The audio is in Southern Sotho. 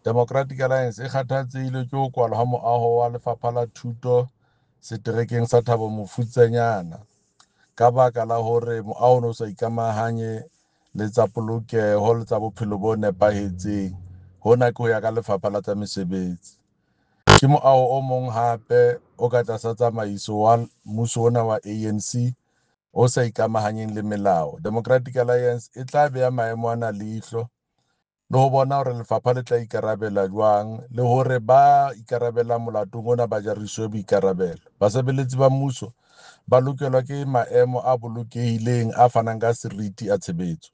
Democratic Alliance e kgathatsehile ke ho kwalwa ha moaho wa Lefapha la Thuto seterekeng sa Thabo Mofutsanyana ka baka la hore moaho o ne o sa ikamahanye le tsa polokeho le tsa bophelo bo nepahetseng. Hona ke ho ya ka Lefapha la tsa Mesebetsi. Ke moaho o mong hape o ka tlasa tsamaiso wa mmuso ona wa ANC o sa ikamahanyeng le melao. Democratic Alliance e tla beha maemo ana leihlo le ho bona hore lefapha le tla ikarabela jwang le hore ba ikarabelang molatong ona ba jariswe boikarabelo. Basebeletsi ba mmuso ba lokelwa ke maemo a bolokehileng a fanang ka seriti a tshebetso.